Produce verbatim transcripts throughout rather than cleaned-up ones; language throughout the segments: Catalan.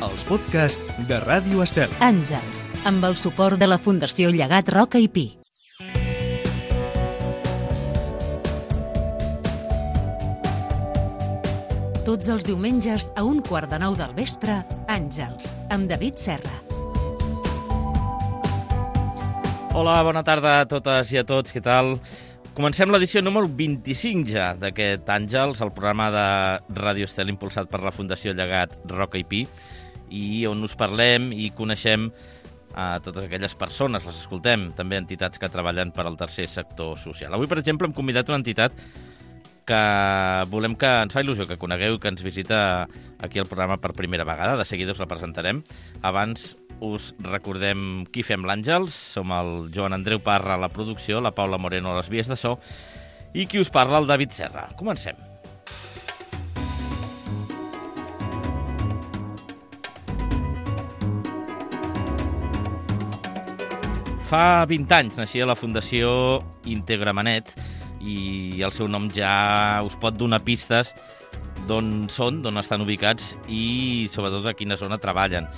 els podcasts de Ràdio Estel. Àngels, amb el suport de la Fundació Llegat Roca i Pi. Tots els diumenges a un quart de nou del vespre, Àngels, amb David Serra. Hola, bona tarda a totes i a tots, què tal? Comencem l'edició número vint-i-cinc ja d'aquest Àngels, el programa de Ràdio Estel impulsat per la Fundació Llegat Roca i Pi, i on us parlem i coneixem a totes aquelles persones, les escoltem, també entitats que treballen per al tercer sector social. Avui, per exemple, hem convidat una entitat que volem que ens fa il·lusió que conegueu i que ens visita aquí al programa per primera vegada. De seguida us la presentarem. Abans us recordem qui fem l'Àngels. Som el Joan Andreu Parra a la producció, la Paula Moreno a les vies de so i qui us parla, el David Serra. Comencem. Fa vint anys naixia la Fundació Integramanet i el seu nom ja us pot donar pistes d'on són, d'on estan ubicats i sobretot a quina zona treballen.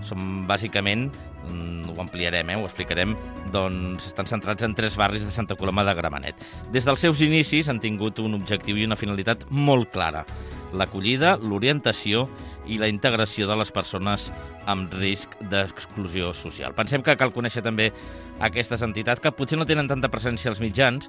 Som bàsicament, ho ampliarem, eh, ho explicarem, doncs estan centrats en tres barris de Santa Coloma de Gramenet. Des dels seus inicis han tingut un objectiu i una finalitat molt clara: l'acollida, l'orientació i la integració de les persones amb risc d'exclusió social. Pensem que cal conèixer també aquestes entitats que potser no tenen tanta presència als mitjans,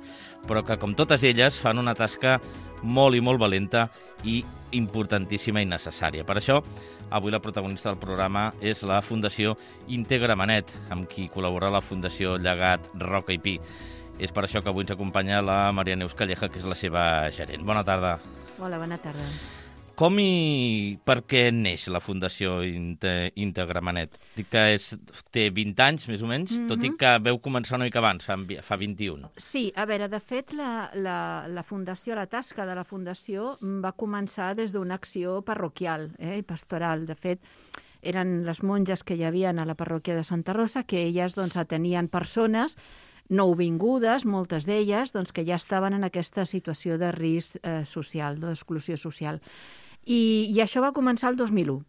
però que, com totes elles, fan una tasca molt i molt valenta i importantíssima i necessària. Per això, avui la protagonista del programa és la Fundació Integramanet, amb qui col·labora la Fundació Llegat Roca i Pi. És per això que avui ens acompanya la Maria Neus Calleja, que és la seva gerent. Bona tarda. Hola, bona tarda. Com i per què neix la Fundació Integramanet? Dic que és, té vint anys, més o menys, mm-hmm. tot i que veu començar una mica abans, fa, fa vint-i-un. Sí, a veure, de fet, la, la, la Fundació, la tasca de la Fundació va començar des d'una acció parroquial eh, i pastoral. De fet, eren les monges que hi havia a la parròquia de Santa Rosa, que elles doncs, atenien persones nouvingudes, moltes d'elles, doncs, que ja estaven en aquesta situació de risc eh, social, d'exclusió social. I, I això va començar el dos mil u.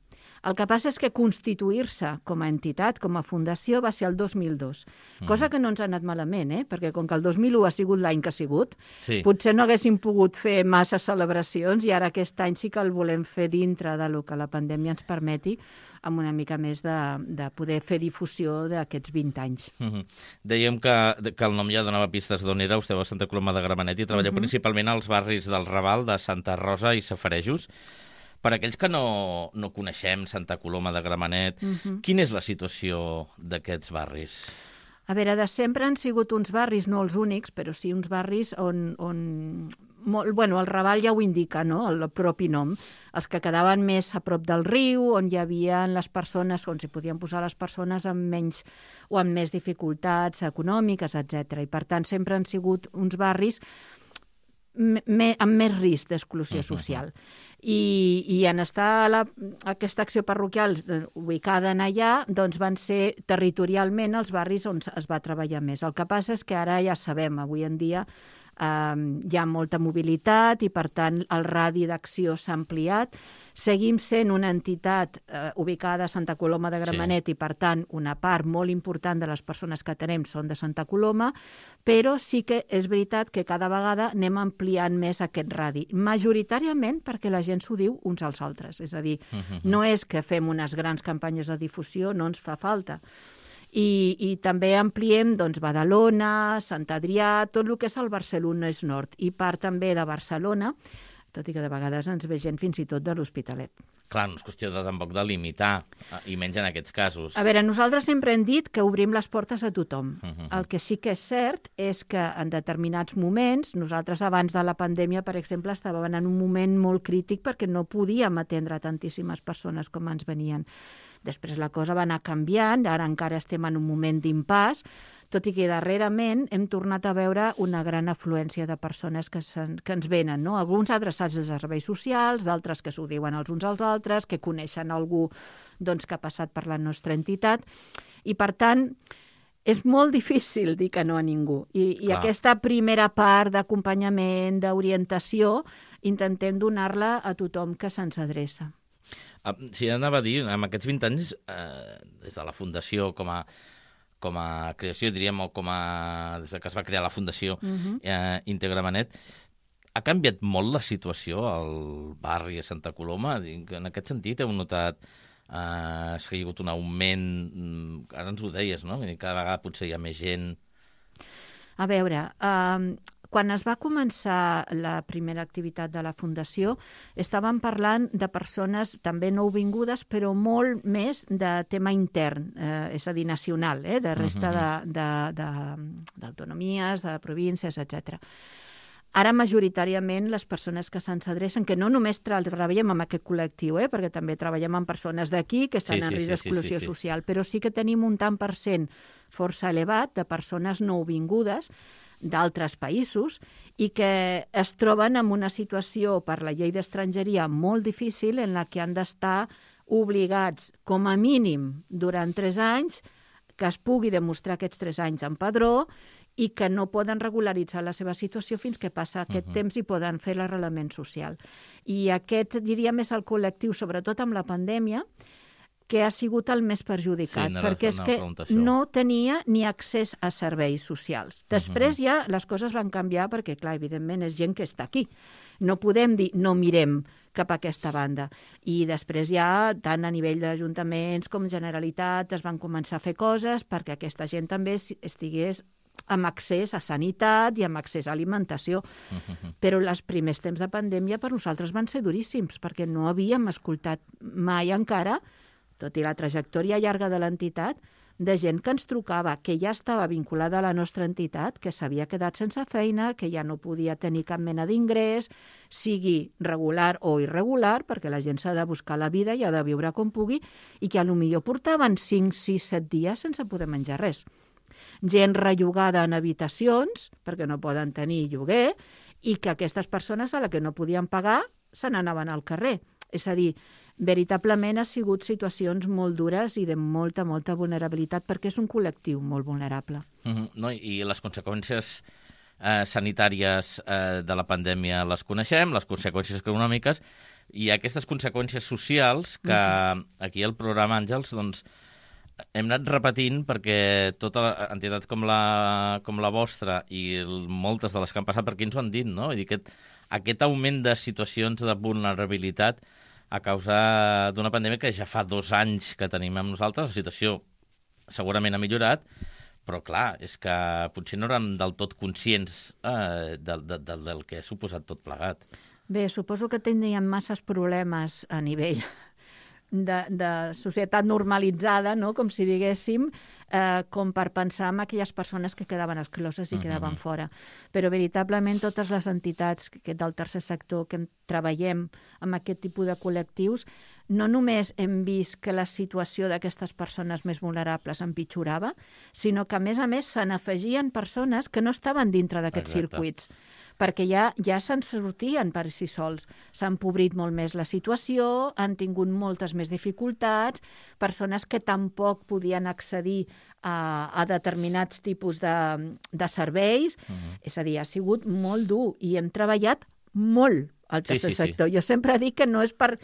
El que passa és que constituir-se com a entitat, com a fundació, va ser el dos mil dos. Mm. Cosa que no ens ha anat malament, eh? Perquè com que el dos mil u ha sigut l'any que ha sigut, sí. Potser no haguéssim pogut fer massa celebracions i ara aquest any sí que el volem fer dintre del que la pandèmia ens permeti, amb una mica més de, de poder fer difusió d'aquests vint anys. Mm-hmm. Dèiem que, que el nom ja donava pistes d'on era. Esteu a Santa Coloma de Gramenet i treballeu mm-hmm. principalment als barris del Raval, de Santa Rosa i Safarejos. Per aquells que no, no coneixem Santa Coloma de Gramenet, uh-huh. quina és la situació d'aquests barris? A veure, de sempre han sigut uns barris, no els únics, però sí uns barris on... on molt, bueno, el Raval ja ho indica, no?, el propi nom. Els que quedaven més a prop del riu, on hi havia les persones, on s'hi podien posar les persones amb menys o amb més dificultats econòmiques, etcètera. I per tant sempre han sigut uns barris me, amb més risc d'exclusió uh-huh. social. I, i en estar la, aquesta acció parroquial ubicada en allà, doncs van ser territorialment els barris on es va treballar més. El que passa és que ara ja sabem, avui en dia eh, hi ha molta mobilitat i per tant el radi d'acció s'ha ampliat. Seguim sent una entitat eh, ubicada a Santa Coloma de Gramenet sí. i, per tant, una part molt important de les persones que tenem són de Santa Coloma, però sí que és veritat que cada vegada anem ampliant més aquest radi. Majoritàriament perquè la gent s'ho diu uns als altres. És a dir, uh-huh. no és que fem unes grans campanyes de difusió, no ens fa falta. I, i també ampliem doncs, Badalona, Sant Adrià, tot el que és el Barcelonès Nord i part també de Barcelona, tot i que de vegades ens ve gent fins i tot de l'Hospitalet. Clar, no és qüestió de, tampoc de limitar, i menys en aquests casos. A veure, nosaltres sempre hem dit que obrim les portes a tothom. Uh-huh. El que sí que és cert és que en determinats moments, nosaltres abans de la pandèmia, per exemple, estàvem en un moment molt crític perquè no podíem atendre tantíssimes persones com ens venien. Després la cosa va anar canviant, ara encara estem en un moment d'impàs, tot i que darrerament hem tornat a veure una gran afluència de persones que, que ens venen, no? Alguns adreçats als serveis socials, d'altres que s'ho diuen els uns als altres, que coneixen algú doncs, que ha passat per la nostra entitat, i per tant és molt difícil dir que no a ningú. I, i aquesta primera part d'acompanyament, d'orientació, intentem donar-la a tothom que se'ns adreça. Sí, anava a dir, en aquests vint anys, eh, des de la Fundació com a, com a creació, diríem, o com a... des que es va crear la Fundació uh-huh. eh, Integramanet, ha canviat molt la situació al barri de Santa Coloma? En aquest sentit, heu notat eh, ha sigut un augment... Ara ens ho deies, no? Cada vegada potser hi ha més gent... A veure, eh, quan es va començar la primera activitat de la Fundació, estàvem parlant de persones també nouvingudes, però molt més de tema intern, eh, és a dir, nacional, eh, de resta d'autonomies, de, de, de, de províncies, etcètera. Ara, majoritàriament, les persones que se'ns adrecen, que no només treballem amb aquest col·lectiu, eh, perquè també treballem amb persones d'aquí que estan sí, sí, en risc d'exclusió sí, sí, sí. social, però sí que tenim un tant per cent força elevat de persones nouvingudes d'altres països i que es troben en una situació per la llei d'estrangeria molt difícil en la que han d'estar obligats, com a mínim, durant tres anys, que es pugui demostrar aquests tres anys en padró i que no poden regularitzar la seva situació fins que passa aquest uh-huh. temps i poden fer l'arrelament social. I aquest, diríem, és el col·lectiu, sobretot amb la pandèmia, que ha sigut el més perjudicat, sí, perquè és que no tenia ni accés a serveis socials. Després uh-huh. ja les coses van canviar perquè, clar, evidentment és gent que està aquí. No podem dir no mirem cap a aquesta banda. I després ja, tant a nivell d'ajuntaments com Generalitat, es van començar a fer coses perquè aquesta gent també estigués amb accés a sanitat i amb accés a alimentació. Uh-huh. Però els primers temps de pandèmia per nosaltres van ser duríssims, perquè no havíem escoltat mai encara, tot i la trajectòria llarga de l'entitat, de gent que ens trucava, que ja estava vinculada a la nostra entitat, que s'havia quedat sense feina, que ja no podia tenir cap mena d'ingrés, sigui regular o irregular, perquè la gent s'ha de buscar la vida i ha de viure com pugui, i que potser portaven cinc, sis, set dies sense poder menjar res. Gent rellogada en habitacions, perquè no poden tenir lloguer, i que aquestes persones a la que no podien pagar se n'anaven al carrer. És a dir, veritablement ha sigut situacions molt dures i de molta, molta vulnerabilitat, perquè és un col·lectiu molt vulnerable. Mm-hmm. No, i les conseqüències eh, sanitàries eh, de la pandèmia les coneixem, les conseqüències econòmiques, i aquestes conseqüències socials que mm-hmm. aquí al programa Àngels doncs, hem anat repetint perquè totes les entitats com la, com la vostra i moltes de les que han passat per aquí ens ho han dit, no? Vull dir, aquest, aquest augment de situacions de vulnerabilitat a causa d'una pandèmia que ja fa dos anys que tenim amb nosaltres. La situació segurament ha millorat, però clar, és que potser no érem del tot conscients eh, del, del, del que ha suposat tot plegat. Bé, suposo que tindríem masses problemes a nivell de, de societat normalitzada, no? Com si diguéssim, eh, com per pensar en aquelles persones que quedaven excloses i uh-huh. quedaven fora. Però veritablement totes les entitats que, del tercer sector que treballem amb aquest tipus de col·lectius, no només hem vist que la situació d'aquestes persones més vulnerables empitjorava, sinó que a més a més se n'afegien persones que no estaven dintre d'aquests circuits, perquè ja, ja se'n sortien per si sols. S'ha empobrit molt més la situació, han tingut moltes més dificultats, persones que tampoc podien accedir a, a determinats tipus de, de serveis. Uh-huh. És a dir, ha sigut molt dur i hem treballat molt al tercer sí, sí, sector. Sí. Jo sempre dic que no és per...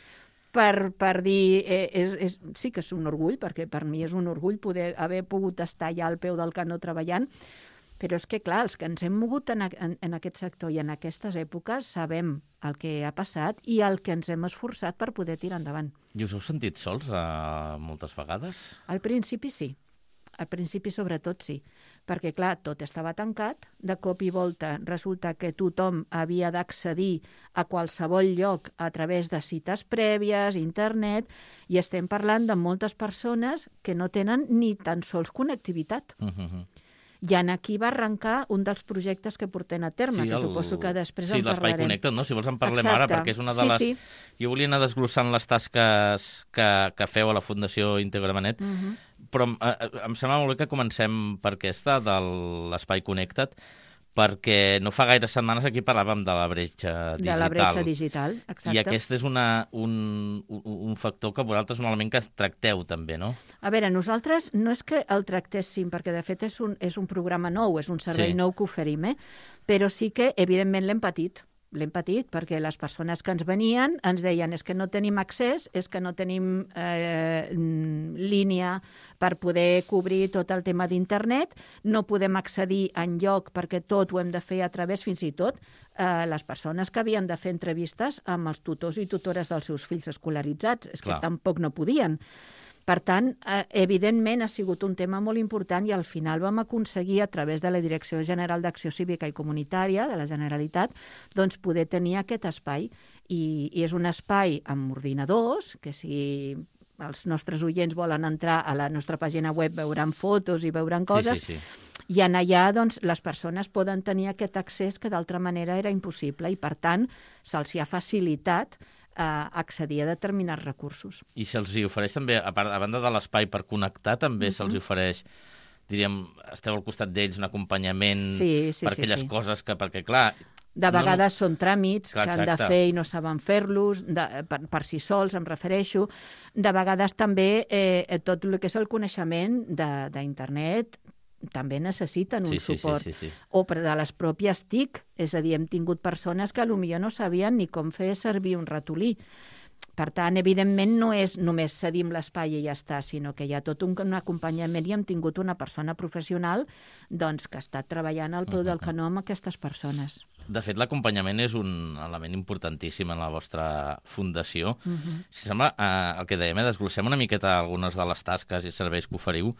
Per, per dir, eh, és, és, sí que és un orgull, perquè per mi és un orgull poder haver pogut estar ja al peu del canó treballant, però és que, clar, els que ens hem mogut en, en, en aquest sector i en aquestes èpoques sabem el que ha passat i el que ens hem esforçat per poder tirar endavant. I us heu sentit sols uh, moltes vegades? Al principi sí. Al principi sobretot sí, perquè clar, tot estava tancat, de cop i volta resulta que tothom havia d'accedir a qualsevol lloc a través de cites prèvies, internet, i estem parlant de moltes persones que no tenen ni tan sols connectivitat. Uh-huh. I en aquí va arrencar un dels projectes que portem a terme, sí, el... que suposo que després sí, en parlarem. Sí, l'Espai Connecta't, no? Si vols en parlem Exacte. Ara, perquè és una de sí, les... Sí. Jo volia anar desglossant les tasques que, que feu a la Fundació Integramanet, uh-huh. però eh, em sembla molt bé que comencem per aquesta, de l'Espai Connecta't, perquè no fa gaire setmanes aquí parlàvem de la bretxa digital. De la bretxa digital, exacte. I aquest és una, un, un, un factor que vosaltres un element que tracteu també, no? A veure, nosaltres no és que el tractéssim, perquè de fet és un, és un programa nou, és un servei sí. nou que oferim, eh? Però sí que, evidentment, l'hem patit. l'hem patit, perquè les persones que ens venien ens deien és que no tenim accés, és que no tenim eh, línia per poder cobrir tot el tema d'internet, no podem accedir enlloc perquè tot ho hem de fer a través, fins i tot, eh, les persones que havien de fer entrevistes amb els tutors i tutores dels seus fills escolaritzats, és Clar. que tampoc no podien. Per tant, eh, evidentment ha sigut un tema molt important i al final vam aconseguir, a través de la Direcció General d'Acció Cívica i Comunitària de la Generalitat, doncs poder tenir aquest espai. I, i és un espai amb ordinadors, que si els nostres oients volen entrar a la nostra pàgina web veuran fotos i veuran coses, Sí, sí, sí. i en allà doncs, les persones poden tenir aquest accés que d'altra manera era impossible i, per tant, se'ls ha facilitat a accedir a determinats recursos. I se'ls hi ofereix també, a, part, a banda de l'espai per connectar, també Uh-huh. se'ls ofereix, diríem, esteu al costat d'ells, un acompanyament Sí, sí, per sí, aquelles sí. coses que, perquè clar... De no, vegades no, són tràmits Clar, que han de exacte. fer i no saben fer-los, de- per, per si sols, em refereixo. De vegades també eh, tot el que és el coneixement de- d'internet també necessiten un Sí, sí, suport. sí, sí, sí. O per de les pròpies T I C, és a dir, hem tingut persones que potser no sabien ni com fer servir un ratolí. Per tant, evidentment, no és només cedim l'espai i ja està, sinó que hi ha tot un, un acompanyament i hem tingut una persona professional doncs, que ha estat treballant al peu del canó amb aquestes persones. De fet, l'acompanyament és un element importantíssim en la vostra fundació. Uh-huh. Si sembla, eh, el que dèiem, eh, desglossem una miqueta algunes de les tasques i serveis que oferiu.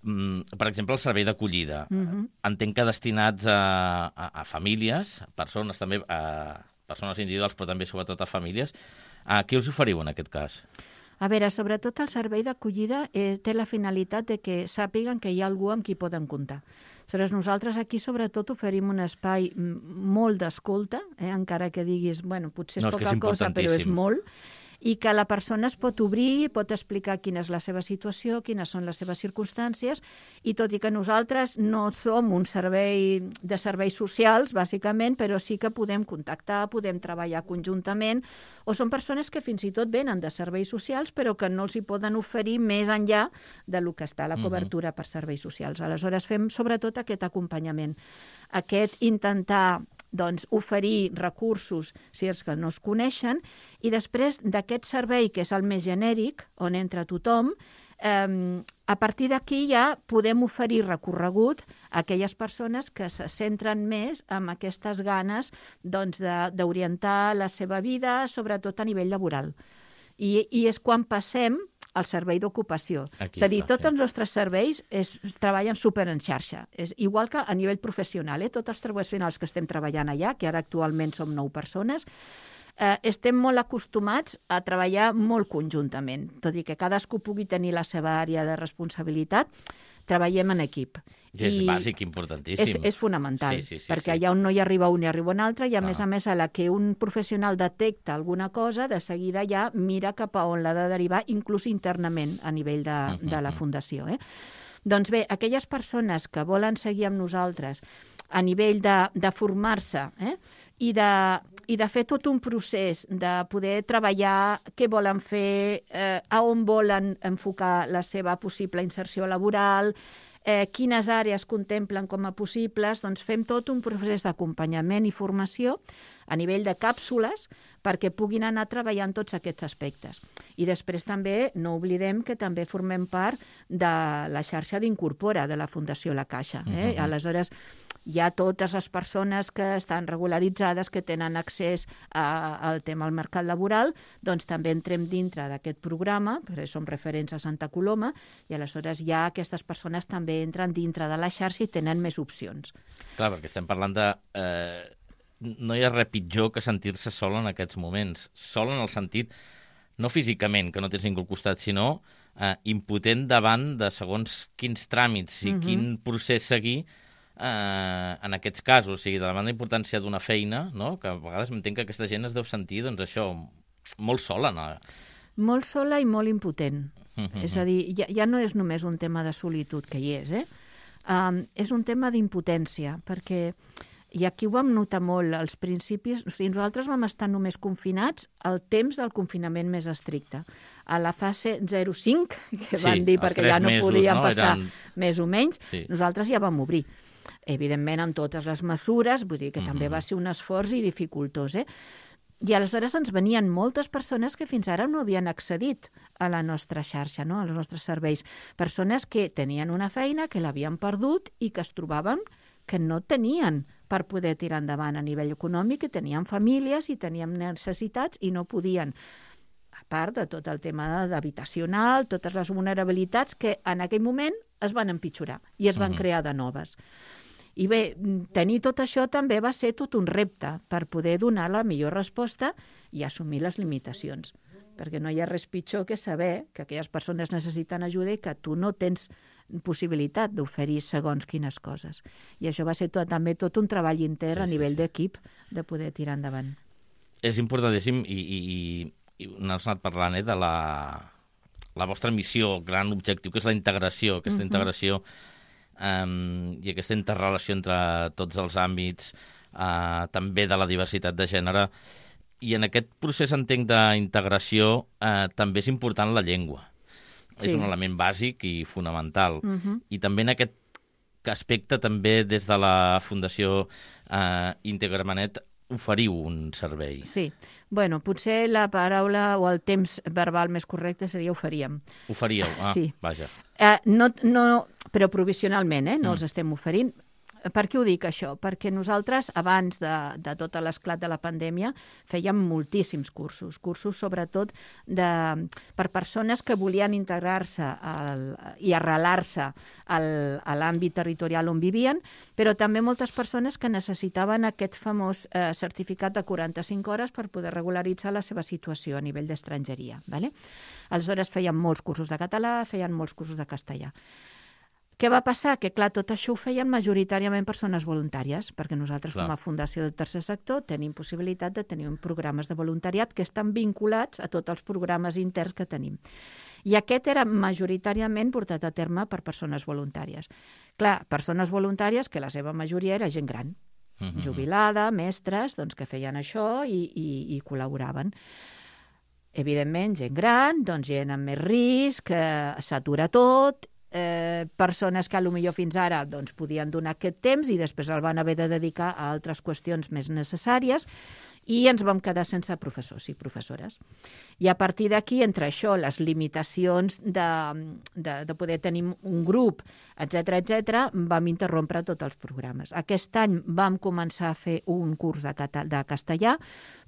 Mm, per exemple, el servei d'acollida. Uh-huh. Entenc que destinats a, a, a famílies, a persones també, a persones individuals, però també sobretot a famílies. A què us oferiu en aquest cas? A veure, sobretot el servei d'acollida eh, té la finalitat de que sàpiguen que hi ha algú amb qui poden comptar. Aleshores, nosaltres aquí sobretot oferim un espai mm, molt d'escolta, eh, encara que diguis, bueno, potser és No, és que poca és cosa, però és importantíssim. molt, i que la persona es pot obrir, pot explicar quina és la seva situació, quines són les seves circumstàncies, i tot i que nosaltres no som un servei de serveis socials, bàsicament, però sí que podem contactar, podem treballar conjuntament, o són persones que fins i tot venen de serveis socials, però que no els hi poden oferir més enllà de lo que està la cobertura per serveis socials. Aleshores, fem sobretot aquest acompanyament, aquest intentar doncs, oferir recursos si els que no es coneixen, i després d'aquest servei, que és el més genèric, on entra tothom, eh, a partir d'aquí ja podem oferir recorregut a aquelles persones que se centren més en aquestes ganes doncs, de- d'orientar la seva vida, sobretot a nivell laboral. I, i és quan passem al servei d'ocupació. Aquí És a dir, està, tots sí. els nostres serveis es, es treballen super en xarxa. És igual que a nivell professional, eh? Tots els professionals que estem treballant allà, que ara actualment som nou persones, eh, estem molt acostumats a treballar molt conjuntament. Tot i que cadascú pugui tenir la seva àrea de responsabilitat, treballem en equip. I és bàsic, importantíssim. És, és fonamental, Sí, sí, sí, perquè sí. allà on no hi arriba un hi arriba un altre, i a Clar. més a més a la que un professional detecta alguna cosa, de seguida ja mira cap a on l'ha de derivar, inclús internament a nivell de, de la fundació. Eh? Doncs bé, aquelles persones que volen seguir amb nosaltres a nivell de, de formar-se eh? I, de, i de fer tot un procés de poder treballar què volen fer, eh, a on volen enfocar la seva possible inserció laboral, eh, quines àrees contemplen com a possibles, doncs fem tot un procés d'acompanyament i formació a nivell de càpsules perquè puguin anar treballant tots aquests aspectes. I després també no oblidem que també formem part de la xarxa d'Incorpora de la Fundació La Caixa. Eh? Uh-huh. Aleshores, hi ha totes les persones que estan regularitzades, que tenen accés a, al tema del mercat laboral, doncs també entrem dintre d'aquest programa, perquè som referents a Santa Coloma, i aleshores ja aquestes persones també entren dintre de la xarxa i tenen més opcions. Clar, perquè estem parlant de... Eh, no hi ha res pitjor que sentir-se sol en aquests moments. Sol en el sentit, no físicament, que no tens ningú al costat, sinó eh, impotent davant de segons quins tràmits i Mhm. quin procés seguir eh, en aquests casos. O sigui, davant la importància d'una feina, no? Que a vegades entenc que aquesta gent es deu sentir, doncs això, molt sola, no? Molt sola i molt impotent. Mhm. És a dir, ja, ja no és només un tema de solitud, que hi és, eh? Um, és un tema d'impotència, perquè, i aquí ho vam notar molt, als principis, o sigui, nosaltres vam estar només confinats al temps del confinament més estricte. A la fase zero cinc, que Sí, van dir els perquè tres ja no mesos, podien no? passar Eren- més o menys, Sí. nosaltres ja vam obrir. evidentment amb totes les mesures, vull dir que mm-hmm. també va ser un esforç i dificultós, eh? I aleshores ens venien moltes persones que fins ara no havien accedit a la nostra xarxa, no? als nostres serveis. Persones que tenien una feina, que l'havien perdut i que es trobaven que no tenien per poder tirar endavant a nivell econòmic, que tenien famílies i tenien necessitats i no podien. A part de tot el tema d'habitacional, totes les vulnerabilitats que en aquell moment es van empitjorar i es van mm-hmm. crear de noves. I bé, tenir tot això també va ser tot un repte per poder donar la millor resposta i assumir les limitacions. Perquè no hi ha res pitjor que saber que aquelles persones necessiten ajuda i que tu no tens possibilitat d'oferir segons quines coses. I això va ser tot, també tot un treball intern sí, a nivell sí, sí. d'equip de poder tirar endavant. És importantíssim i, i, i n'has anat parlant eh, de la, la vostra missió, gran objectiu, que és la integració, aquesta uh-huh. integració Um, i aquesta interrelació entre tots els àmbits, uh, també de la diversitat de gènere. I en aquest procés, entenc, d'integració uh, també és important la llengua. Sí. És un element bàsic i fonamental. Uh-huh. I també en aquest aspecte, també des de la Fundació uh, Integramanet, oferiu un servei. Sí. Bueno, potser la paraula o el temps verbal més correcte seria oferíem. Oferíeu, ah, sí. Vaja. Uh, no, no, però provisionalment, eh? No mm. els estem oferint. Per què ho dic, això? Perquè nosaltres, abans de, de tot l'esclat de la pandèmia, fèiem moltíssims cursos, cursos sobretot de, per persones que volien integrar-se al, i arrelar-se al, a l'àmbit territorial on vivien, però també moltes persones que necessitaven aquest famós eh, certificat de quaranta-cinc hores per poder regularitzar la seva situació a nivell d'estrangeria. ¿Vale? Aleshores feien molts cursos de català, feien molts cursos de castellà. Què va passar? Que, clar, tot això ho feien majoritàriament persones voluntàries, perquè nosaltres, clar, com a Fundació del Tercer Sector, tenim possibilitat de tenir programes de voluntariat que estan vinculats a tots els programes interns que tenim. I aquest era majoritàriament portat a terme per persones voluntàries. Clar, persones voluntàries que la seva majoria era gent gran, mm-hmm. jubilada, mestres, doncs, que feien això i, i, i col·laboraven. Evidentment, gent gran, doncs, gent amb més risc, eh, s'atura tot. Eh, persones que potser fins ara doncs, podien donar aquest temps i després el van haver de dedicar a altres qüestions més necessàries i ens vam quedar sense professors i professores. I a partir d'aquí, entre això, les limitacions de, de, de poder tenir un grup, etcètera, etcètera, vam interrompre tots els programes. Aquest any vam començar a fer un curs de, cata- de castellà,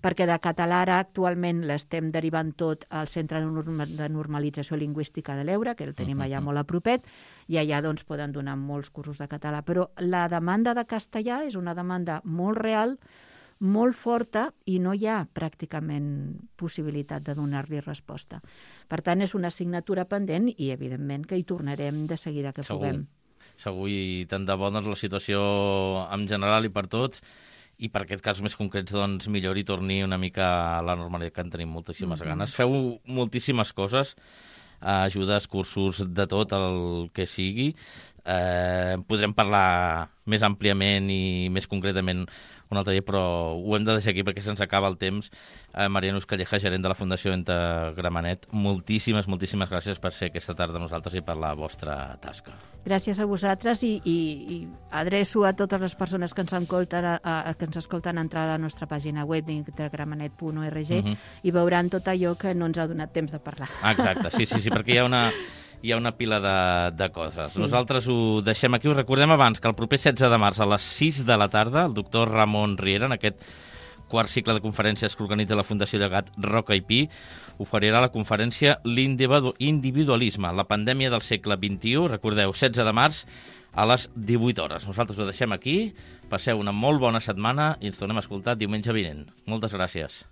perquè de català ara actualment l'estem derivant tot al Centre de Normalització Lingüística de l'Eure, que el tenim allà molt a propet, i allà doncs, poden donar molts cursos de català. Però la demanda de castellà és una demanda molt real, molt forta, i no hi ha pràcticament possibilitat de donar-li resposta. Per tant, és una assignatura pendent i, evidentment, que hi tornarem de seguida que Segur. puguem. Segur, i tant de bo, doncs, la situació en general i per tots, i per aquest cas més concrets, doncs, millor i torni una mica a la normalitat, que en tenim moltíssimes mm-hmm. ganes. Feu moltíssimes coses, ajudes, cursos, de tot el que sigui. Eh, podrem parlar més àmpliament i més concretament un altre dia, però ho hem de deixar aquí perquè se'ns acaba el temps. Eh, Mariano Calleja, gerent de la Fundació Integramanet, moltíssimes, moltíssimes gràcies per ser aquesta tarda amb nosaltres i per la vostra tasca. Gràcies a vosaltres i, i, i adreço a totes les persones que ens escolten a, a, que ens escolten a entrar a la nostra pàgina web d'integramanet punt org uh-huh. i veuran tot allò que no ens ha donat temps de parlar. Exacte, sí, sí, sí, perquè hi ha una... hi ha una pila de, de coses. Sí. Nosaltres ho deixem aquí. Us recordem abans que el proper setze de març a les sis de la tarda el doctor Ramon Riera, en aquest quart cicle de conferències que organitza la Fundació Llegat Roca i Pi, oferirà la conferència L'individualisme, la pandèmia del segle vint-i-u. Recordeu, setze de març a les divuit hores. Nosaltres ho deixem aquí. Passeu una molt bona setmana i ens tornem a escoltar diumenge vinent. Moltes gràcies.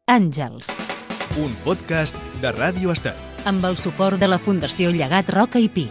Àngels. Un podcast de Ràdio Estel. Amb el suport de la Fundació Llegat Roca i Pi.